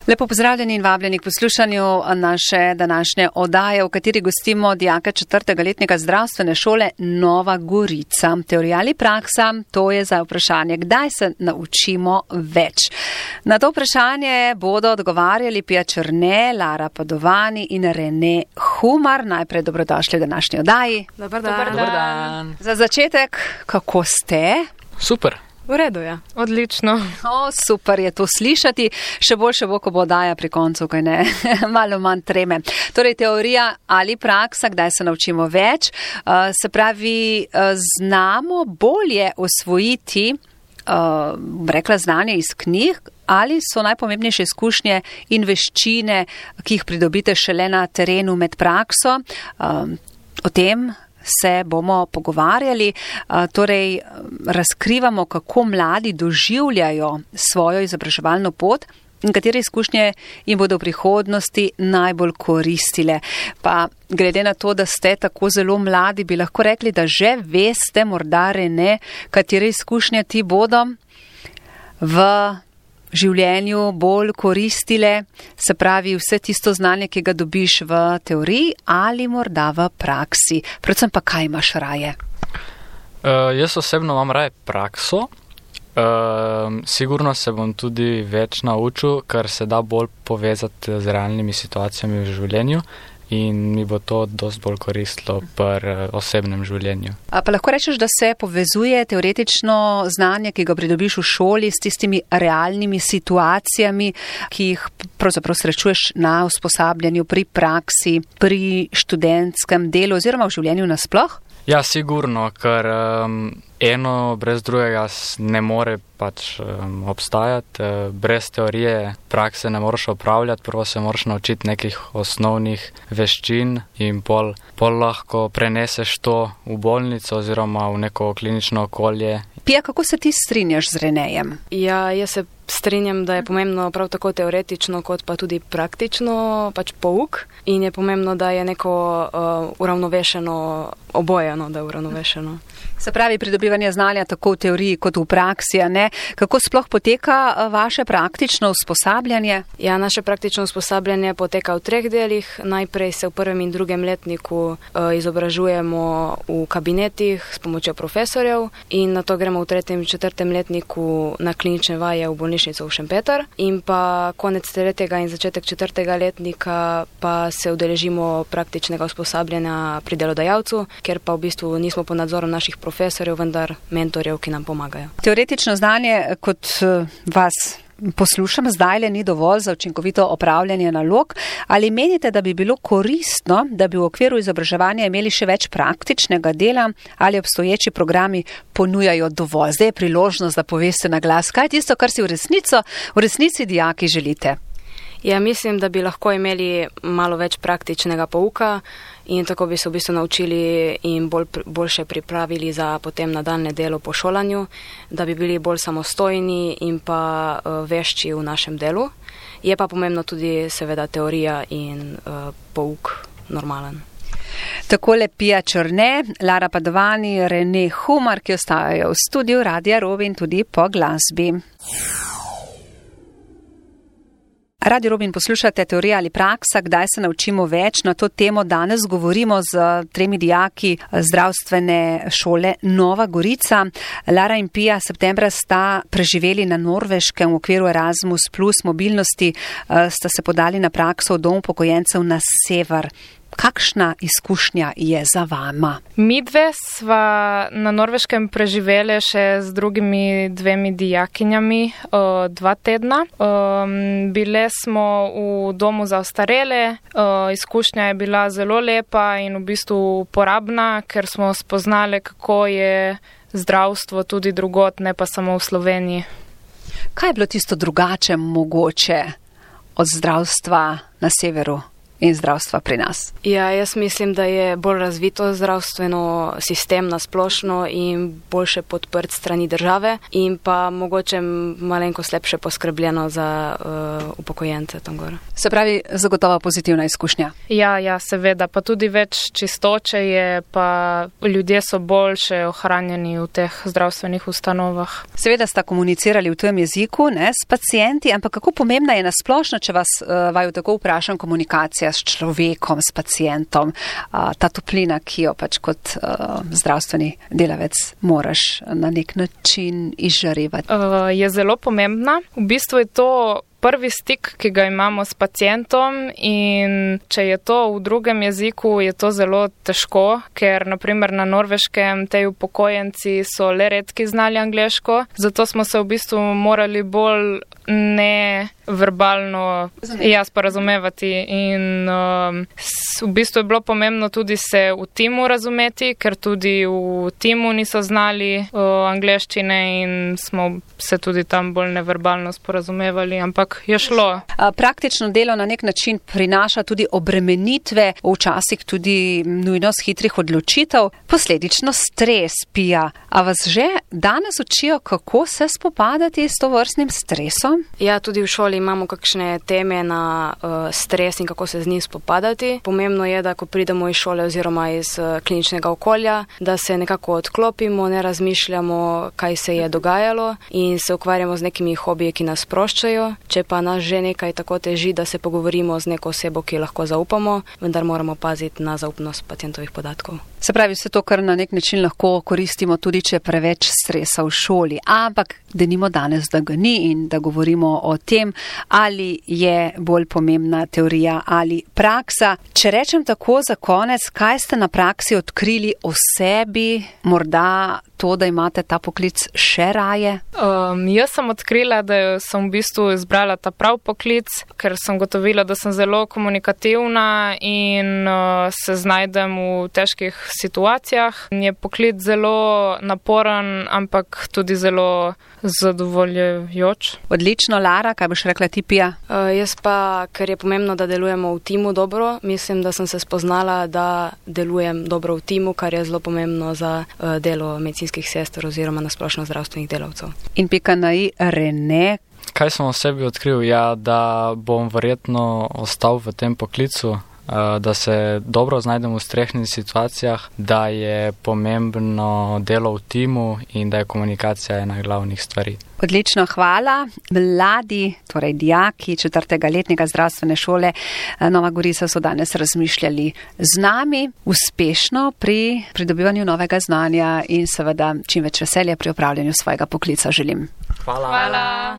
Lepo pozdravljeni in vabljeni k poslušanju naše današnje oddaje, v kateri gostimo dijaka 4. letnika zdravstvene šole Nova Gorica. Teorija ali praksa, to je za vprašanje, kdaj se naučimo več. Na to vprašanje bodo odgovarjali Pija Černe, Lara Padovani in Rene Humar. Najprej dobrodošli v današnji oddaji. Dobar dan. Za začetek, kako ste? Super. V redu, ja. Odlično. Super je to slišati. Še boljše bo, ko bo oddaja pri koncu, kaj ne, malo manj treme. Torej, teorija ali praksa, kdaj se naučimo več, se pravi, znamo bolje osvojiti, rekla znanje iz knjig, ali so najpomembnejše izkušnje in veščine, ki jih pridobite šele na terenu med prakso. O tem se bomo pogovarjali, torej razkrivamo, kako mladi doživljajo svojo izobraževalno pot in katere izkušnje jim bodo v prihodnosti najbolj koristile. Pa glede na to, da ste tako zelo mladi, bi lahko rekli, da že veste, morda Rene, katere izkušnje ti bodo v življenju bolj koristile, se pravi vse tisto znanje, ki ga dobiš v teoriji ali morda v praksi. Predvsem pa kaj imaš raje? Jaz osebno imam raje prakso. Sigurno se bom tudi več naučil, ker se da bolj povezati z realnimi situacijami v življenju in mi bo to dosti bolj koristilo pri osebnem življenju. Pa lahko rečeš, da se povezuje teoretično znanje, ki ga pridobiš v šoli, s tistimi realnimi situacijami, ki jih pravzaprav srečuješ na usposabljanju, pri praksi, pri študentskem delu oziroma v življenju nasploh? Ja, sigurno, ker eno brez drugega ne more pač obstajati. Brez teorije prakse ne moreš opravljati, prvo se moraš naučiti nekih osnovnih veščin in pol lahko preneseš to v bolnico oziroma v neko klinično okolje. Pija, kako se ti strinjaš z Renejem? Ja, jaz se strinjam, da je pomembno prav tako teoretično kot pa tudi praktično pač pouk in je pomembno, da je neko uravnovešeno obojeno, da je uravnovešeno. Se pravi, pridobivanje znanja tako v teoriji kot v praksi, a ne? Kako sploh poteka vaše praktično usposabljanje? Ja, naše praktično usposabljanje poteka v 3 delih. Najprej se v 1. in 2. letniku izobražujemo v kabinetih s pomočjo profesorjev in nato gremo v 3. in 4. letniku na klinične vaje v bolnišnico v Šempeter in pa konec 3. in začetek 4. letnika pa se udeležimo praktičnega usposabljanja pri delodajalcu, ker pa v bistvu nismo pod nadzorom naših profesorjev, vendar mentorjev, ki nam pomagajo. Teoretično znanje, kot vas poslušam, zdajle ni dovolj za učinkovito opravljanje nalog. Ali menite, da bi bilo koristno, da bi v okviru izobraževanja imeli še več praktičnega dela, ali obstoječi programi ponujajo dovolj? Zdaj je priložnost, da poveste na glas, kaj je tisto, kar si v resnici dijaki želite? Ja, mislim, da bi lahko imeli malo več praktičnega pouka in tako bi se v bistvu naučili in boljše pripravili za potem nadaljnje delo po šolanju, da bi bili bolj samostojni in pa vešči v našem delu. Je pa pomembno tudi seveda teorija in pouk normalen. Takole Pija Černe, Lara Padovani, Rene Humar, ki ostajajo v studiu Radia Robin tudi po glasbi. Radio Robin, poslušate teorija ali praksa, kdaj se naučimo več. Na to temo danes govorimo z 3 dijaki zdravstvene šole Nova Gorica. Lara in Pija septembra sta preživeli na Norveškem v okviru Erasmus plus mobilnosti, sta se podali na prakso v dom upokojencev na sever. Kakšna izkušnja je za vama? Midve sva na Norveškem preživeli še z drugimi 2 dijakinjami 2 tedna. Bile smo v domu za ostarele, izkušnja je bila zelo lepa in v bistvu uporabna, ker smo spoznali, kako je zdravstvo tudi drugot, ne pa samo v Sloveniji. Kaj je bilo tisto drugače mogoče od zdravstva na severu? in zdravstva pri nas? Ja, jaz mislim, da je bolj razvito zdravstveno sistem na splošno in boljše podprt strani države in pa mogoče malenkost lepše poskrbljeno za upokojence tam gor. Se pravi, zagotovo pozitivna izkušnja. Ja, seveda, pa tudi več čistoče je, pa ljudje so boljše ohranjeni v teh zdravstvenih ustanovah. Seveda sta komunicirali v tujem jeziku, ne, s pacienti, ampak kako pomembna je nasplošno, če vas vaju tako vprašam, komunikacija s človekom, s pacientom, ta toplina, ki jo pač kot zdravstveni delavec moraš na nek način izžarevati? Je zelo pomembna. V bistvu je to prvi stik, ki ga imamo s pacientom, in če je to v drugem jeziku, je to zelo težko, ker naprimer na Norveškem tej upokojenci so le redki znali angleško, zato smo se v bistvu morali bolj neverbalno sporazumevati in v bistvu je bilo pomembno tudi se v timu razumeti, ker tudi v timu niso znali angleščine in smo se tudi tam bolj neverbalno sporazumevali, ampak je šlo. Praktično delo na nek način prinaša tudi obremenitve, včasih tudi nujnost hitrih odločitev, posledično stres, Pija. A vas že danes učijo, kako se spopadati s tovrstnim stresom? Ja, tudi v šoli imamo kakšne teme na stres in kako se z njim spopadati. Pomembno je, da ko pridemo iz šole oziroma iz kliničnega okolja, da se nekako odklopimo, ne razmišljamo, kaj se je dogajalo in se ukvarjamo z nekimi hobiji, ki nas sproščajo. Če pa nas že nekaj tako teži, da se pogovorimo z neko osebo, ki lahko zaupamo, vendar moramo paziti na zaupnost pacientovih podatkov. Se pravi, vse to, kar na nek način lahko koristimo, tudi če je preveč stresa v šoli. Ampak denimo danes, da ga ni in da govorimo o tem, ali je bolj pomembna teorija ali praksa. Če rečem tako za konec, kaj ste na praksi odkrili o sebi, morda to, da imate ta poklic še raje? Jaz sem odkrila, da sem v bistvu izbrala ta prav poklic, ker sem gotovila, da sem zelo komunikativna in se znajdem v težkih situacijah. Je poklic zelo naporen, ampak tudi zelo zadovoljujoč. Odlično, Lara, kaj boš rekla ti, Pija? Jaz pa, ker je pomembno, da delujemo v timu dobro, mislim, da sem se spoznala, da delujem dobro v timu, kar je zelo pomembno za delo medicinskih sester oziroma nasplošno zdravstvenih delavcev. In pika na i, Rene. Kaj sem o sebi odkril? Ja, da bom verjetno ostal v tem poklicu, da se dobro znajdem v stresnih situacijah, da je pomembno delo v timu in da je komunikacija ena glavnih stvari. Odlično, hvala. Mladi, torej dijaki 4. letnika zdravstvene šole Nova Gorica so danes razmišljali z nami uspešno pri pridobivanju novega znanja in seveda čim več veselja pri opravljanju svojega poklica želim. Hvala.